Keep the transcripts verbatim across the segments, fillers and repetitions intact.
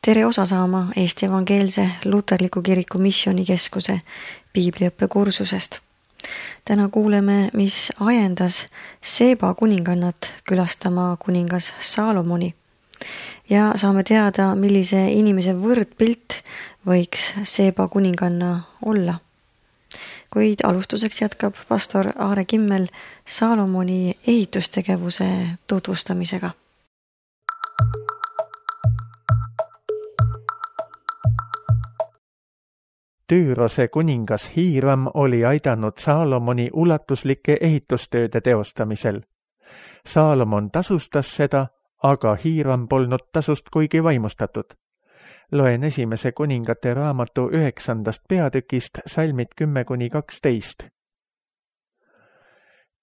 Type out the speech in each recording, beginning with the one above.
tere osa saama Eesti Evangeelse Luterliku Kiriku Missioonikeskuse piibliõppe kursusest. Täna kuuleme, mis ajendas Seeba kuningannat külastama kuningas Saalomoni ja saame teada, millise inimese võrdpilt võiks Seeba kuninganna olla. Kuid alustuseks jätkab pastor Aare Kimmel Saalomoni ehitustegevuse tutvustamisega. Tüürose kuningas Hiiram oli aidanud Saalomoni ulatuslike ehitustööde teostamisel. Saalomon tasustas seda, aga Hiiram polnud tasust kuigi vaimustatud. Loen esimese kuningate raamatu üheksandast peatükist salmid kümme kuni kaksteist.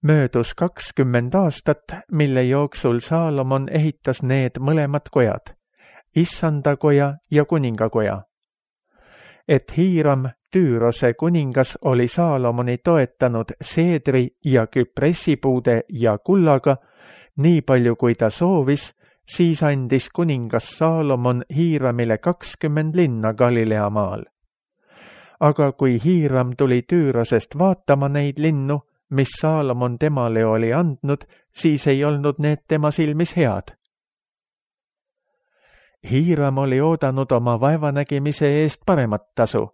Möödus kakskümmend aastat, mille jooksul Saalomon ehitas need mõlemad kojad, Issanda koja ja kuningakoja. Et Hiiram, Tüürose kuningas, oli Saalomoni toetanud seedri ja küpressipuude ja kullaga, nii palju kui ta soovis, siis andis kuningas Saalomon Hiiramile kakskümmend linna Galilea maal. Aga kui Hiiram tuli Tüürosest vaatama neid linnu, mis Saalomon temale oli andnud, siis ei olnud need tema silmis head. Hiiram oli oodanud oma vaevanägimise eest paremat tasu.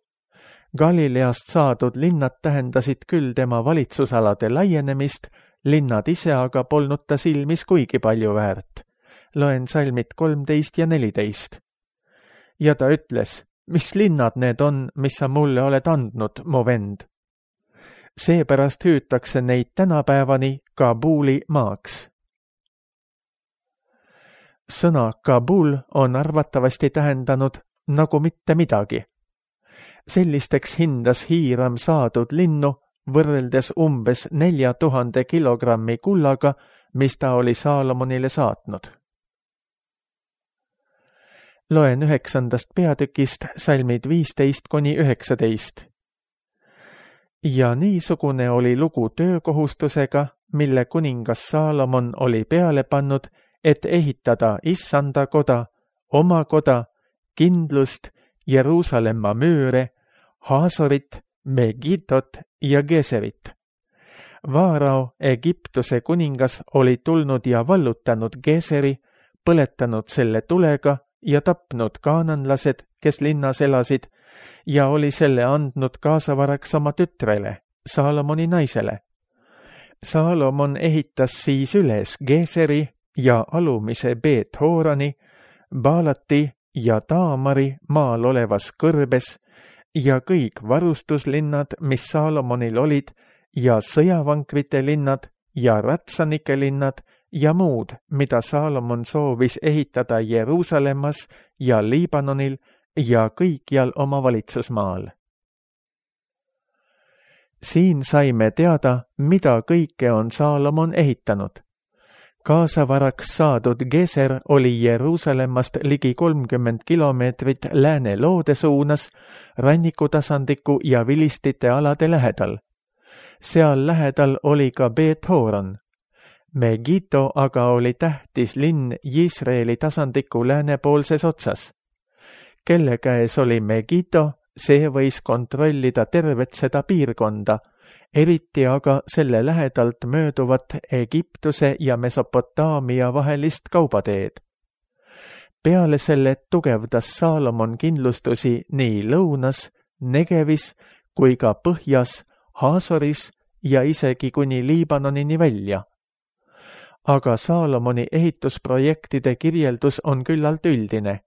Galileast saadud linnad tähendasid küll tema valitsusalade laienemist, linnad ise aga polnud ta silmis kuigi palju väärt. Loen salmid kolmteist ja neliteist. Ja ta ütles, mis linnad need on, mis sa mulle oled andnud, mu vend? Seepärast hüütakse neid tänapäevani Kabuli maaks. Sõna Kabul on arvatavasti tähendanud nagu mitte midagi. Sellisteks hindas Hiiram saadud linnu võrreldes umbes nelja tuhande kilogrammi kullaga, mis ta oli Saalomonile saatnud. Loen üheksandast peatükist salmid viisteist kuni üheksateist. Ja niisugune oli lugu töökohustusega, mille kuningas Saalomon oli peale pannud, et ehitada Issanda koda, oma koda, kindlust, Jeruusalemma müüre, Haasorit, Megitot ja Geserit. Vaarao, Egiptuse kuningas, oli tulnud ja vallutanud Geseri, põletanud selle tulega ja tapnud kaananlased, kes linnas elasid, ja oli selle andnud kaasavaraks oma tütrele, Saalomoni naisele. Saalomon ehitas siis üles Geseri ja alumise Beet-Hoorani, Baalati ja Taamari maal olevas kõrbes ja kõik varustuslinnad, mis Saalomonil olid, ja sõjavankrite linnad ja ratsanike linnad ja muud, mida Saalomon soovis ehitada Jeruusalemmas ja Liibanonil ja kõikjal oma valitsusmaal. Siin saime teada, mida kõike on Saalomon ehitanud. Kaasavaraks saadud Geser oli Jeruusalemmast ligi kolmkümmend kilomeetrit lääne loode suunas, rannikutasandiku ja vilistite alade lähedal. Seal lähedal oli ka Beet-Hooran. Megito aga oli tähtis linn Iisraeli tasandiku läänepoolses otsas. Kelle käes oli Megito, see võis kontrollida tervet seda piirkonda, eriti aga selle lähedalt mööduvat Egiptuse ja Mesopotaamia vahelist kaubateed. Peale selle tugevdas Saalomon kindlustusi nii lõunas, Negevis kui ka põhjas, Haasoris ja isegi kuni Liibanonini välja. Aga Saalomoni ehitusprojektide kirjeldus on küllalt üldine.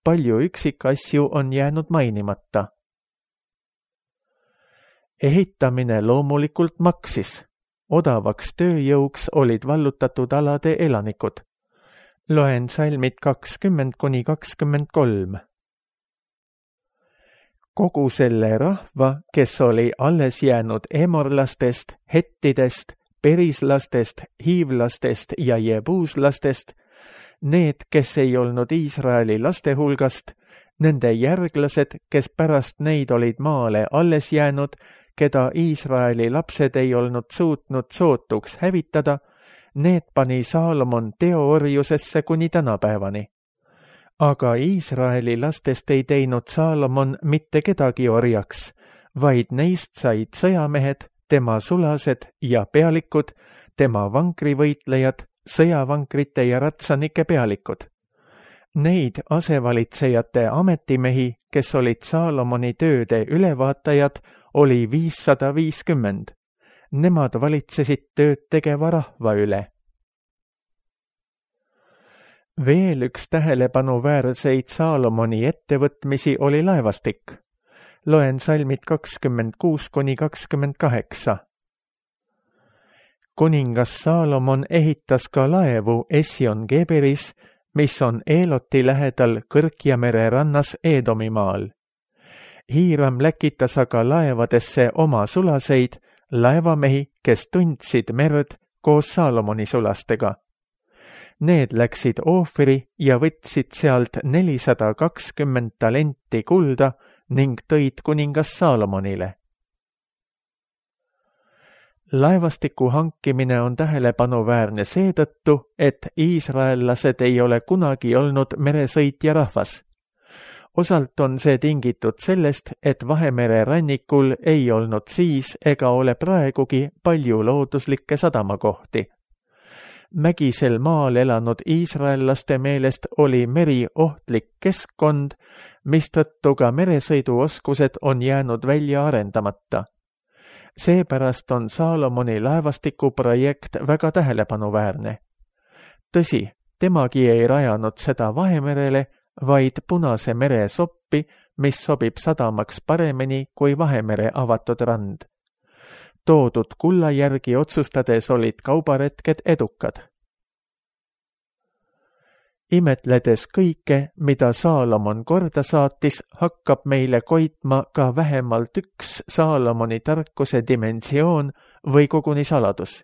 Palju üksikasju on jäänud mainimata. Ehitamine loomulikult maksis. Odavaks tööjõuks olid vallutatud alade elanikud. Loen salmid kakskümmend kuni kakskümmend kolm. Kogu selle rahva, kes oli alles jäänud emorlastest, hettidest, perislastest, hiivlastest ja jebuuslastest, need, kes ei olnud Iisraeli laste hulgast, nende järglased, kes pärast neid olid maale alles jäänud, keda Iisraeli lapsed ei olnud suutnud sootuks hävitada, need pani Saalomon teoorjusesse kuni tänapäevani. aga Iisraeli lastest ei teinud Saalomon mitte kedagi orjaks, vaid neist said sõjamehed, tema sulased ja pealikud, tema vankrivõitlejad, sõjavankrite ja ratsanike pealikud. Neid asevalitsejate ametimehi, kes olid Saalomoni tööde ülevaatajad, oli viissada viiskümmend. Nemad valitsesid tööd tegeva rahva üle. Veel üks tähelepanuväärseid Saalomoni ettevõtmisi oli laevastik. Loen salmid kakskümmend kuus kuni kakskümmend kaheksa. Kuningas Saalomon ehitas ka laevu Esjon-Geberis, mis on Eeloti lähedal Kõrkjamere rannas Eedomimaal. Hiiram läkitas aga laevadesse oma sulaseid, laevamehi, kes tundsid merd koos Saalomoni sulastega. Need läksid Oofiri ja võtsid sealt nelisada kakskümmend talenti kulda ning tõid kuningas Saalomonile. Laevastiku hankimine on tähelepanuväärne seetõttu, et iisraellased ei ole kunagi olnud meresõitja rahvas. Osalt on see tingitud sellest, et Vahemere rannikul ei olnud siis ega ole praegugi palju looduslikke sadamakohti. Mägisel maal elanud iisraellaste meelest oli meri ohtlik keskkond, mistõttu ka meresõiduoskused on jäänud välja arendamata. Seepärast on Saalomoni laevastiku projekt väga tähelepanuväärne. Tõsi, temagi ei rajanud seda Vahemerele, vaid Punase mere soppi, mis sobib sadamaks paremini kui Vahemere avatud rand. Toodud kulla järgi otsustades olid kaubaretked edukad. Imetledes kõike, mida Saalomon korda saatis, hakkab meile koitma ka vähemalt üks Saalomoni tarkuse dimensioon või koguni saladus.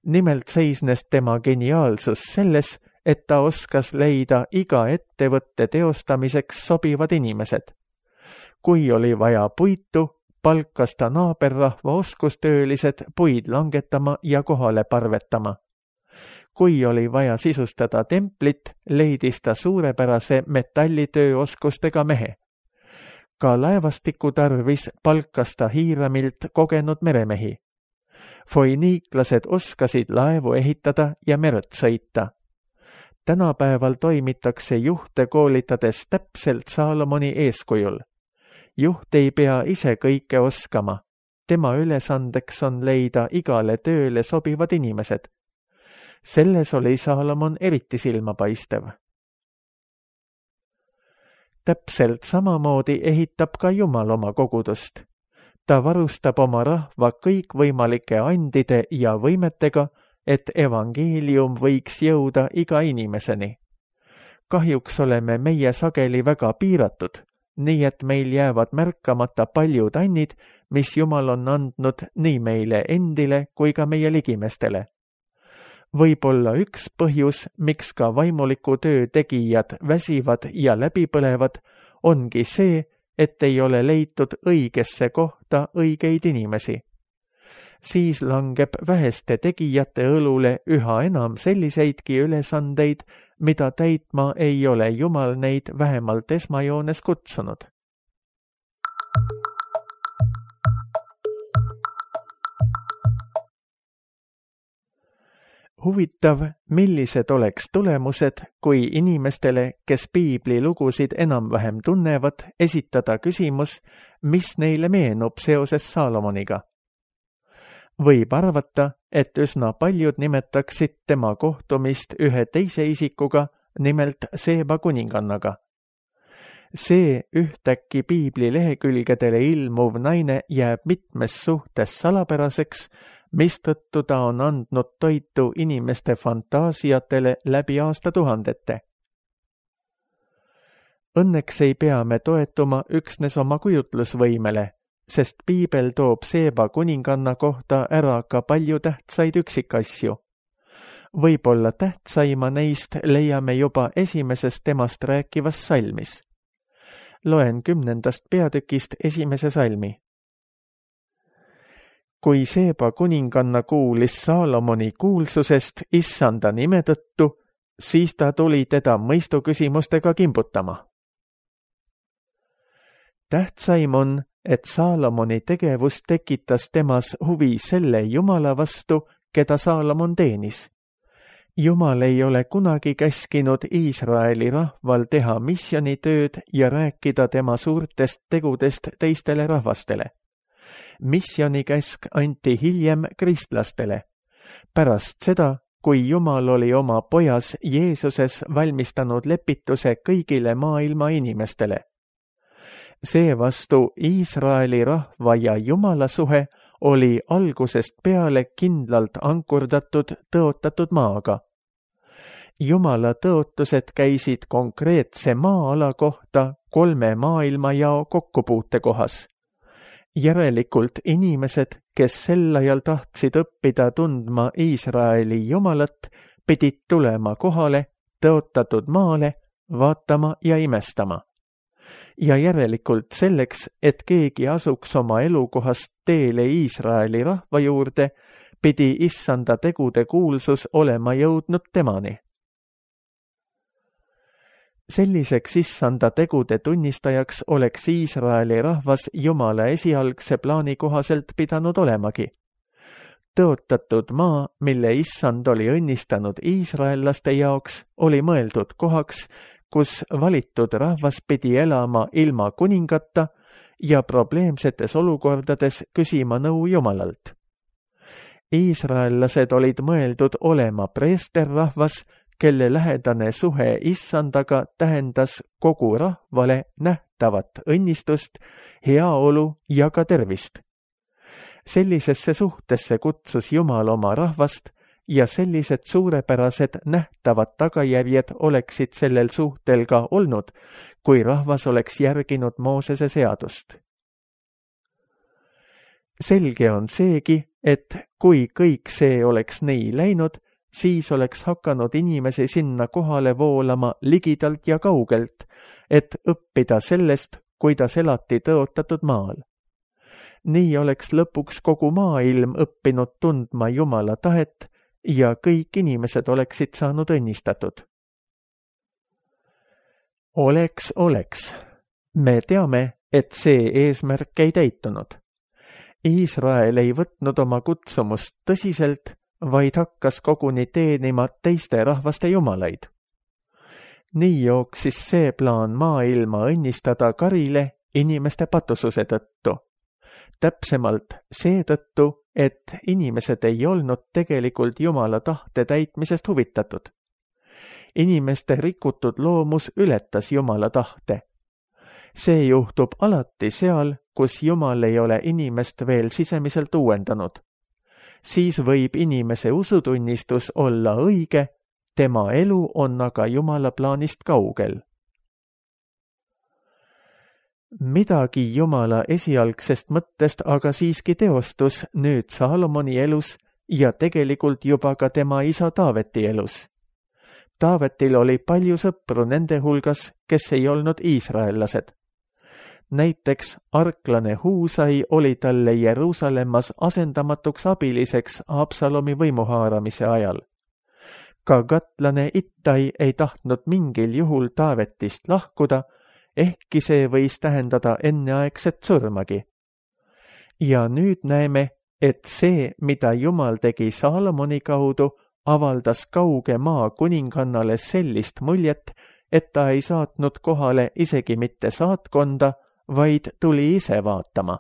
Nimelt seisnes tema geniaalsus selles, et ta oskas leida iga ettevõtte teostamiseks sobivad inimesed. Kui oli vaja puitu, palkas ta naaberrahva oskustöölised puid langetama ja kohale parvetama. Kui oli vaja sisustada templit, leidis ta suurepärase metallitööoskustega mehe. Ka laevastiku tarvis palkas ta Hiiramilt kogenud meremehi. Foiniiklased oskasid laevu ehitada ja merd sõita. Tänapäeval toimitakse juhte koolitades täpselt Saalomoni eeskujul. Juht ei pea ise kõike oskama. Tema ülesandeks on leida igale tööle sobivad inimesed. Selles oli Saalomon eriti silmapaistev. Täpselt samamoodi ehitab ka Jumal oma kogudust. Ta varustab oma rahva kõikvõimalike andide ja võimetega, et evangeelium võiks jõuda iga inimeseni. Kahjuks oleme meie sageli väga piiratud, nii et meil jäävad märkamata paljud annid, mis Jumal on andnud nii meile endile kui ka meie ligimestele. Võib-olla üks põhjus, miks ka vaimuliku töö tegijad väsivad ja läbipõlevad, ongi see, et ei ole leitud õigesse kohta õigeid inimesi. Siis langeb väheste tegijate õlule üha enam selliseidki ülesandeid, mida täitma ei ole Jumal neid vähemalt esmajoones kutsunud. Huvitav, millised oleks tulemused, kui inimestele, kes piibli lugusid enam-vähem tunnevad, esitada küsimus, mis neile meenub seoses Saalomoniga. Võib arvata, et üsna paljud nimetaksid tema kohtumist ühe teise isikuga, nimelt Seeba kuningannaga. See ühtäkki piibli lehekülgedele ilmuv naine jääb mitmes suhtes salapäraseks, mistõttu ta on andnud toitu inimeste fantaasiatele läbi aastatuhandete. Õnneks ei pea me toetuma üksnes oma kujutlusvõimele, sest piibel toob Seeba kuninganna kohta ära ka palju tähtsaid üksikasju. Võib-olla tähtsaima neist leiame juba esimeses temast rääkivas salmis. Loen kümnendast peatükist esimese salmi. Kui Seeba kuninganna kuulis Saalomoni kuulsusest issanda nime tõttu, siis ta tuli teda mõistuküsimustega kimbutama. Tähtsaim on, et Saalomoni tegevus tekitas temas huvi selle Jumala vastu, keda Saalomon teenis. Jumal ei ole kunagi käskinud Iisraeli rahval teha misjonitööd ja rääkida tema suurtest tegudest teistele rahvastele. Missionikäsk anti hiljem kristlastele, pärast seda, kui Jumal oli oma pojas Jeesuses valmistanud lepituse kõigile maailma inimestele. Seevastu Iisraeli rahva ja Jumala suhe oli algusest peale kindlalt ankurdatud tõotatud maaga. Jumala tõotused käisid konkreetse maa-ala kohta kolme maailmajao kokkupuute kohas. Järelikult inimesed, kes sel ajal tahtsid õppida tundma Iisraeli Jumalat, pidid tulema kohale tõotatud maale, vaatama ja imestama. Ja järelikult selleks, et keegi asuks oma elukohast teele Iisraeli rahva juurde, pidi issanda tegude kuulsus olema jõudnud temani. Selliseks issanda tegude tunnistajaks oleks Iisraeli rahvas Jumala esialgse plaani kohaselt pidanud olemagi. Tõotatud maa, mille issand oli õnnistanud iisraellaste jaoks, oli mõeldud kohaks, kus valitud rahvas pidi elama ilma kuningata ja probleemsetes olukordades küsima nõu Jumalalt. Iisraellased olid mõeldud olema preesterrahvas, kelle lähedane suhe issandaga tähendas kogu rahvale nähtavat õnnistust, heaolu ja ka tervist. Sellisesse suhtesse kutsus Jumal oma rahvast ja sellised suurepärased nähtavad tagajärjed oleksid sellel suhtel ka olnud, kui rahvas oleks järginud Moosese seadust. Selge on seegi, et kui kõik see oleks nii läinud, siis oleks hakanud inimesi sinna kohale voolama ligidalt ja kaugelt, et õppida sellest, kuidas elati tõotatud maal. Nii oleks lõpuks kogu maailm õppinud tundma Jumala tahet ja kõik inimesed oleksid saanud õnnistatud. Oleks, oleks. Me teame, et see eesmärk ei täitunud. Iisrael ei võtnud oma kutsumust tõsiselt, vaid hakkas koguni teenima teiste rahvaste jumalaid. Nii jooksis see plaan maailma õnnistada karile inimeste patususe tõttu. Täpsemalt seetõttu, et inimesed ei olnud tegelikult Jumala tahte täitmisest huvitatud. Inimeste rikutud loomus ületas Jumala tahte. See juhtub alati seal, kus Jumal ei ole inimest veel sisemiselt uuendanud. Siis võib inimese usutunnistus olla õige, tema elu on aga Jumala plaanist kaugel. Midagi Jumala esialgsest mõttest aga siiski teostus nüüd Saalomoni elus ja tegelikult juba ka tema isa Taaveti elus. Taavetil oli palju sõpru nende hulgas, kes ei olnud iisraellased. Näiteks arklane Huusai oli talle Jeruusalemmas asendamatuks abiliseks Absalomi võimuhaaramise ajal. Ka gatlane Ittai ei tahtnud mingil juhul Taavetist lahkuda, ehkki see võis tähendada enneaegset surmagi. Ja nüüd näeme, et see, mida Jumal tegi Saalomoni kaudu, avaldas kauge maa kuningannale sellist muljet, et ta ei saatnud kohale isegi mitte saatkonda, vaid tuli ise vaatama.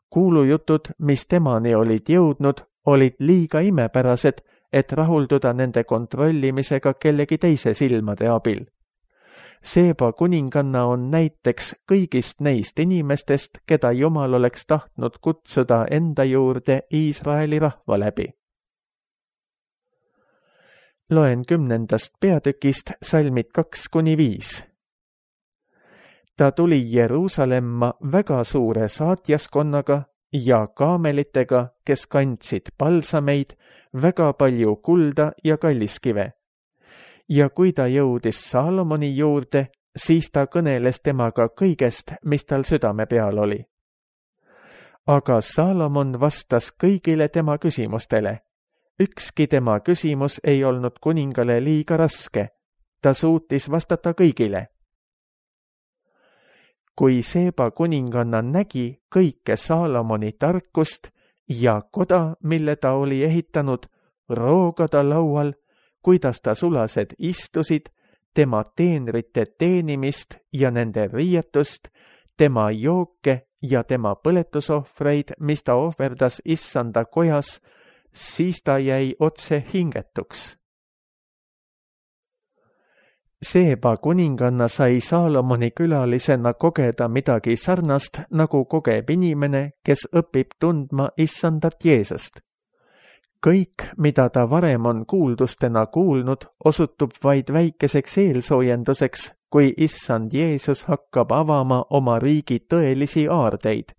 Kuulujutud, mis temani olid jõudnud, olid liiga imepärased, et rahulduda nende kontrollimisega kellegi teise silmade abil. Seeba kuninganna on näiteks kõigist neist inimestest, keda Jumal oleks tahtnud kutsuda enda juurde Iisraeli rahva läbi. Loen kümnendast peatükist salmid kaks kuni viis. Ta tuli Jeruusalemma väga suure saatjaskonnaga ja kaamelitega, kes kandsid palsameid, väga palju kulda ja kalliskive. Ja kui ta jõudis Saalomoni juurde, siis ta kõneles temaga kõigest, mis tal südame peal oli. Aga Saalomon vastas kõigile tema küsimustele, ükski tema küsimus ei olnud kuningale liiga raske. Ta suutis vastata kõigile. Kui Seeba kuninganna nägi kõike Saalomoni tarkust ja koda, mille ta oli ehitanud, roogada laual, kuidas ta sulased istusid, tema teenrite teenimist ja nende riietust, tema jooke ja tema põletusohvreid, mis ta ohverdas issanda kojas, siis ta jäi otse hingetuks. Seeba kuninganna sai Saalomoni külalisena kogeda midagi sarnast, nagu kogeb inimene, kes õpib tundma issandat Jeesust. Kõik, mida ta varem on kuuldustena kuulnud, osutub vaid väikeseks eelsoojenduseks, kui issand Jeesus hakkab avama oma riigi tõelisi aardeid.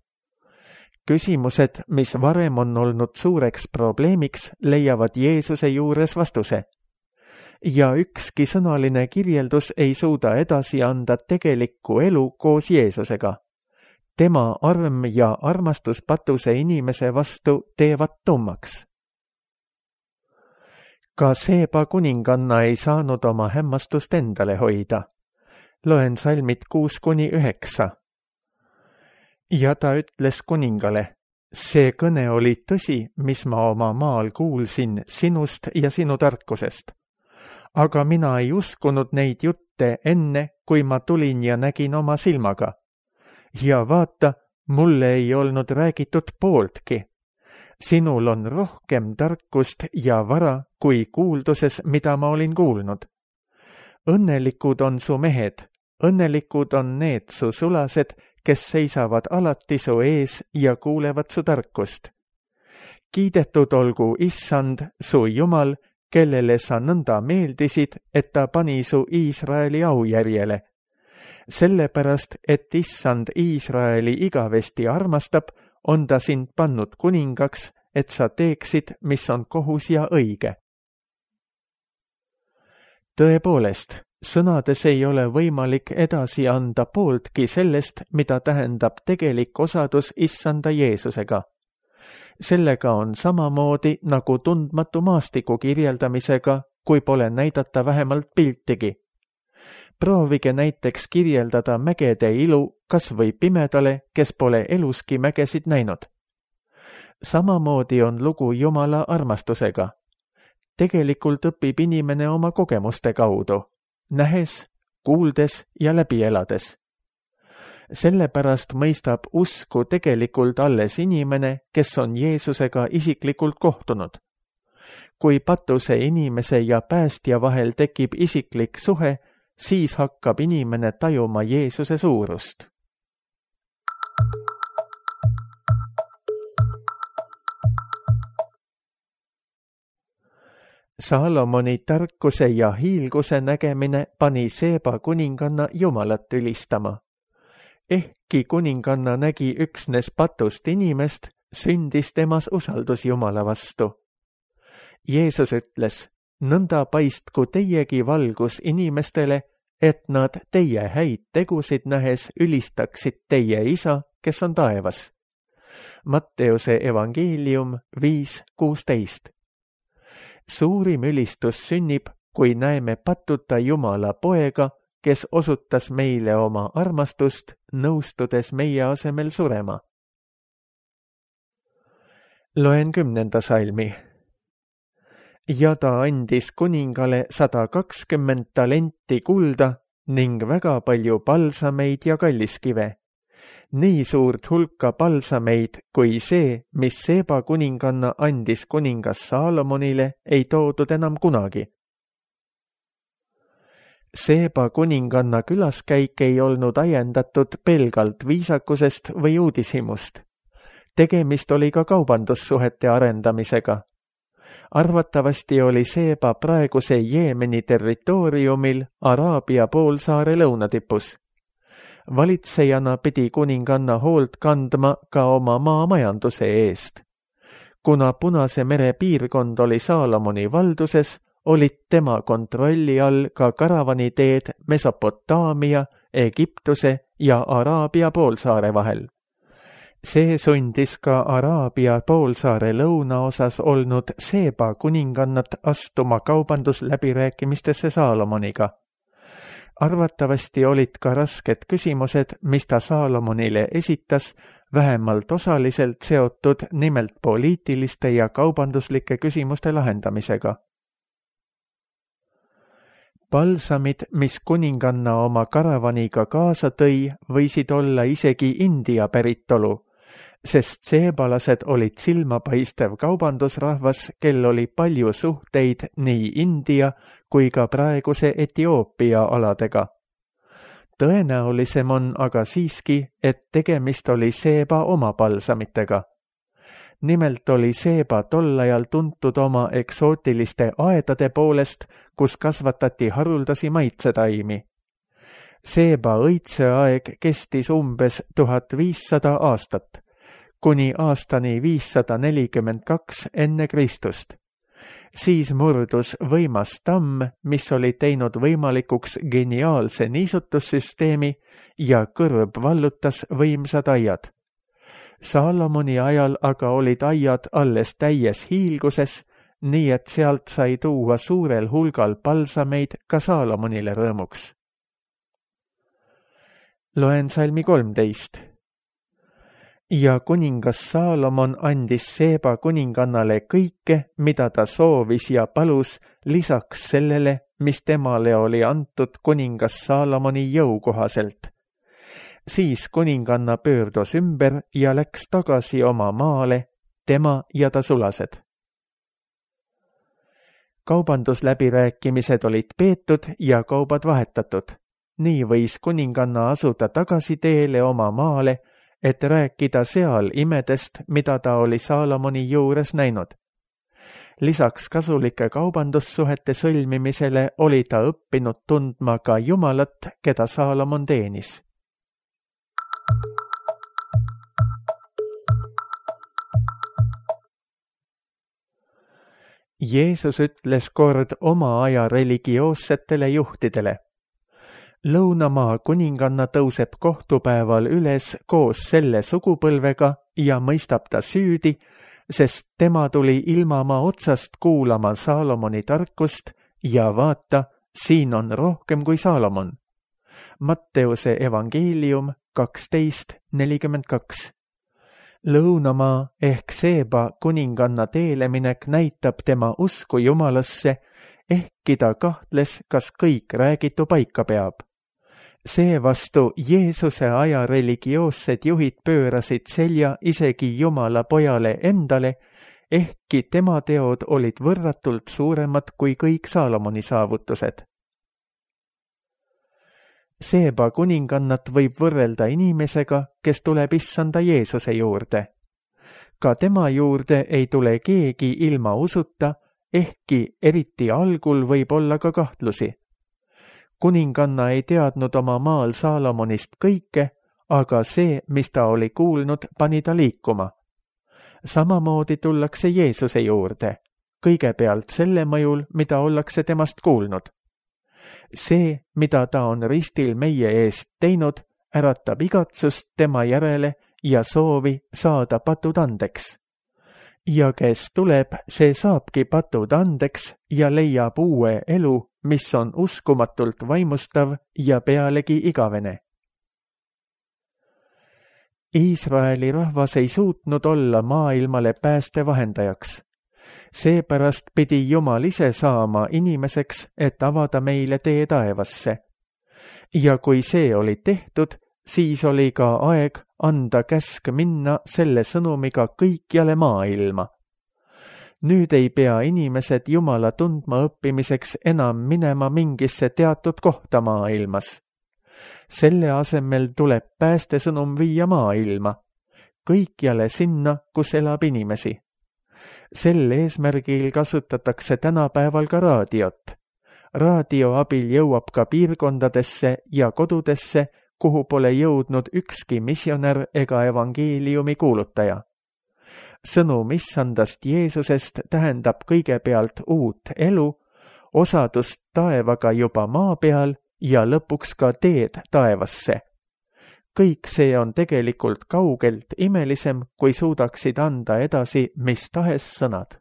Küsimused, mis varem on olnud suureks probleemiks, leiavad Jeesuse juures vastuse. Ja ükski sõnaline kirjeldus ei suuda edasi anda tegelikku elu koos Jeesusega. Tema arm ja armastus patuse inimese vastu teevad tummaks. Ka Seeba kuninganna ei saanud oma hämmastust endale hoida. Loen salmid kuus kuni üheksa. Ja ta ütles kuningale, see kõne oli tõsi, mis ma oma maal kuulsin sinust ja sinu tarkusest. Aga mina ei uskunud neid jutte enne, kui ma tulin ja nägin oma silmaga. Ja vaata, mulle ei olnud räägitud pooltki. Sinul on rohkem tarkust ja vara kui kuulduses, mida ma olin kuulnud. Õnnelikud on su mehed, õnnelikud on need su sulased, kes seisavad alati su ees ja kuulevad su tarkust. Kiidetud olgu issand, su Jumal, kellele sa nõnda meeldisid, et ta pani su Iisraeli aujärjele. Sellepärast, et issand Iisraeli igavesti armastab, on ta sind pannud kuningaks, et sa teeksid, mis on kohus ja õige. Tõepoolest, sõnades ei ole võimalik edasi anda pooltki sellest, mida tähendab tegelik osadus issanda Jeesusega. Sellega on samamoodi nagu tundmatu maastiku kirjeldamisega, kui pole näidata vähemalt piltigi. Proovige näiteks kirjeldada mägede ilu kas või pimedale, kes pole eluski mägesid näinud. Samamoodi on lugu Jumala armastusega. Tegelikult õpib inimene oma kogemuste kaudu, nähes, kuuldes ja läbi elades. Sellepärast mõistab usku tegelikult alles inimene, kes on Jeesusega isiklikult kohtunud. Kui patuse inimese ja päästja vahel tekib isiklik suhe, siis hakkab inimene tajuma Jeesuse suurust. Saalomoni tarkuse ja hiilguse nägemine pani Seeba kuninganna Jumalat ülistama. Ehkki kuninganna nägi üksnes patust inimest, sündis temas usaldus Jumala vastu. Jeesus ütles, nõnda paistku teiegi valgus inimestele, et nad teie häid tegusid nähes ülistaksid teie isa, kes on taevas. Matteuse evangeelium viis kuusteist. Suurim ülistus sünnib, kui näeme patuta Jumala poega, kes osutas meile oma armastust, nõustudes meie asemel surema. Loen kümnenda salmi. Ja ta andis kuningale sada kakskümmend talenti kulda ning väga palju palsameid ja kalliskive. Nii suurt hulka palsameid, kui see, mis Seeba kuninganna andis kuningas Saalomonile, ei toodud enam kunagi. Seeba kuninganna külaskäik ei olnud ajendatud pelgalt viisakusest või uudishimust. Tegemist oli ka kaubandussuhete arendamisega. Arvatavasti oli Seeba praeguse Jeemeni territooriumil Araabia poolsaare lõunatipus. Valitsejana pidi kuninganna hoolt kandma ka oma maamajanduse eest. Kuna Punase mere piirkond oli Saalomoni valduses, olid tema kontrolli all ka karavaniteed Mesopotaamia, Egiptuse ja Araabia poolsaare vahel. See sundis ka Araabia poolsaare lõunaosas olnud Seeba kuningannat astuma kaubandusläbirääkimistesse Saalomoniga. Arvatavasti olid ka rasked küsimused, mis ta Saalomonile esitas, vähemalt osaliselt seotud nimelt poliitiliste ja kaubanduslike küsimuste lahendamisega. Palsamid, mis kuninganna oma karavaniga kaasa tõi, võisid olla isegi India päritolu, sest seebalased olid silmapaistev kaubandusrahvas, kel oli palju suhteid nii India kui ka praeguse Etioopia aladega. Tõenäolisem on aga siiski, et tegemist oli Seeba oma palsamitega. Nimelt oli Seeba tol ajal tuntud oma eksootiliste aedade poolest, kus kasvatati haruldasi maitsetaimi. Seeba õitseaeg kestis umbes tuhat viissada aastat, kuni aastani viissada nelikümmend kaks enne Kristust. Siis murdus võimas tamm, mis oli teinud võimalikuks geniaalse niisutussüsteemi ja kõrb vallutas võimsad aiad. Saalomoni ajal aga olid aiad alles täies hiilguses, nii et sealt sai tuua suurel hulgal palsameid ka Saalomonile rõõmuks. Loen salmi kolmteist. Ja kuningas Saalomon andis Seeba kuningannale kõike, mida ta soovis ja palus, lisaks sellele, mis temale oli antud kuningas Saalomoni jõu kohaselt. Siis kuninganna pöördus ümber ja läks tagasi oma maale, tema ja ta sulased. Kaubandusläbirääkimised olid peetud ja kaubad vahetatud. Nii võis kuninganna asuda tagasi teele oma maale, et rääkida seal imedest, mida ta oli Saalomoni juures näinud. Lisaks kasulike kaubandussuhete sõlmimisele oli ta õppinud tundma ka Jumalat, keda Saalomon teenis. Jeesus ütles kord oma aja religioossetele juhtidele. Lõunamaa kuninganna tõuseb kohtupäeval üles koos selle sugupõlvega ja mõistab ta süüdi, sest tema tuli ilmamaa otsast kuulama Saalomoni tarkust ja vaata, siin on rohkem kui Saalomon. Matteuse evangeelium kaksteist nelikümmend kaks. Lõunamaa ehk Seeba kuninganna teeleminek näitab tema usku Jumalasse, ehkki ta kahtles, kas kõik räägitu paika peab. Seevastu Jeesuse aja religioossed juhid pöörasid selja isegi Jumala pojale endale, ehkki tema teod olid võrratult suuremad kui kõik Saalomoni saavutused. Seeba kuningannat võib võrrelda inimesega, kes tuleb issanda Jeesuse juurde. Ka tema juurde ei tule keegi ilma usuta, ehkki eriti algul võib olla ka kahtlusi. Kuninganna ei teadnud oma maal Saalomonist kõike, aga see, mis ta oli kuulnud, pani ta liikuma. Samamoodi tullakse Jeesuse juurde, kõigepealt selle mõjul, mida ollakse temast kuulnud. See, mida ta on ristil meie eest teinud, äratab igatsust tema järele ja soovi saada patud andeks. Ja kes tuleb, see saabki patud andeks ja leiab uue elu, mis on uskumatult vaimustav ja pealegi igavene. Iisraeli rahvas ei suutnud olla maailmale päästevahendajaks. Seepärast pidi Jumal ise saama inimeseks, et avada meile tee taevasse. Ja kui see oli tehtud, siis oli ka aeg anda käsk minna selle sõnumiga kõikjale maailma. Nüüd ei pea inimesed Jumala tundma õppimiseks enam minema mingisse teatud kohta maailmas. Selle asemel tuleb päästesõnum viia maailma, kõikjale sinna, kus elab inimesi. Sel eesmärgil kasutatakse tänapäeval ka raadiot. Raadio abil jõuab ka piirkondadesse ja kodudesse, kuhu pole jõudnud ükski missionär ega evangeeliumi kuulutaja. Sõnum issandast Jeesusest tähendab kõigepealt uut elu, osadust taevaga juba maa peal ja lõpuks ka teed taevasse. kõik see on tegelikult kaugelt imelisem, kui suudaksid anda edasi mis tahes sõnad.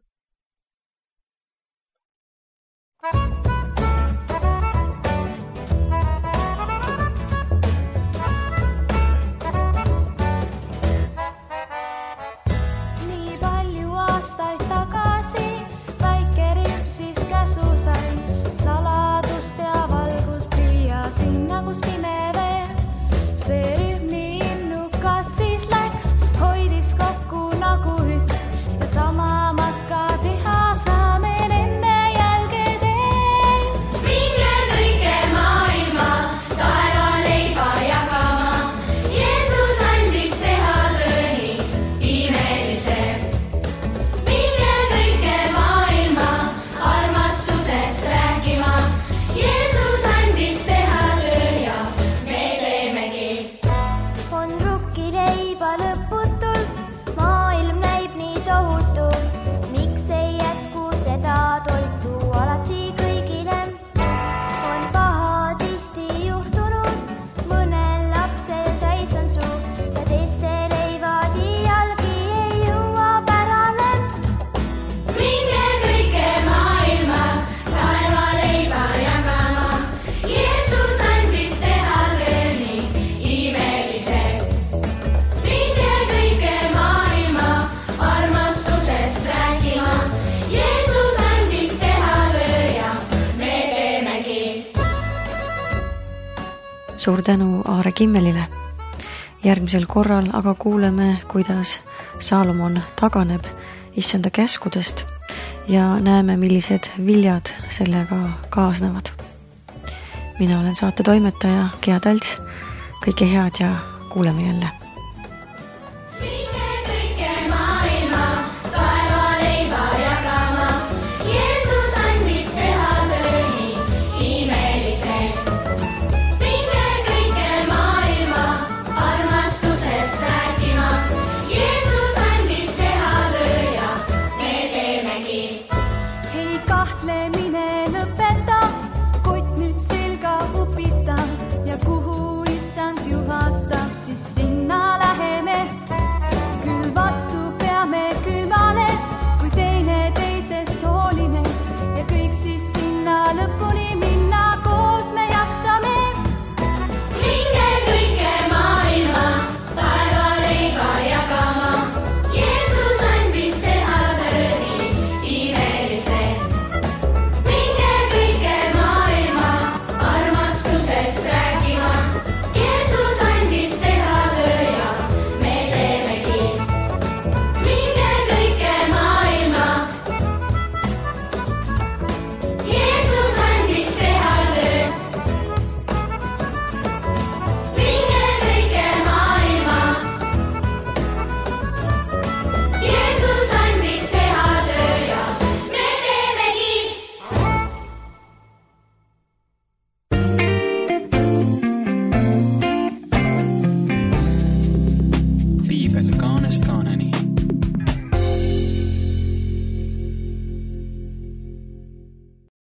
Suur tänu Aare Kimmelile. Järgmisel korral aga kuuleme, kuidas Saalomon taganeb issanda käskudest ja näeme, millised viljad sellega kaasnevad. Mina olen saate toimetaja Gea Talts. Kõike head ja kuuleme jälle.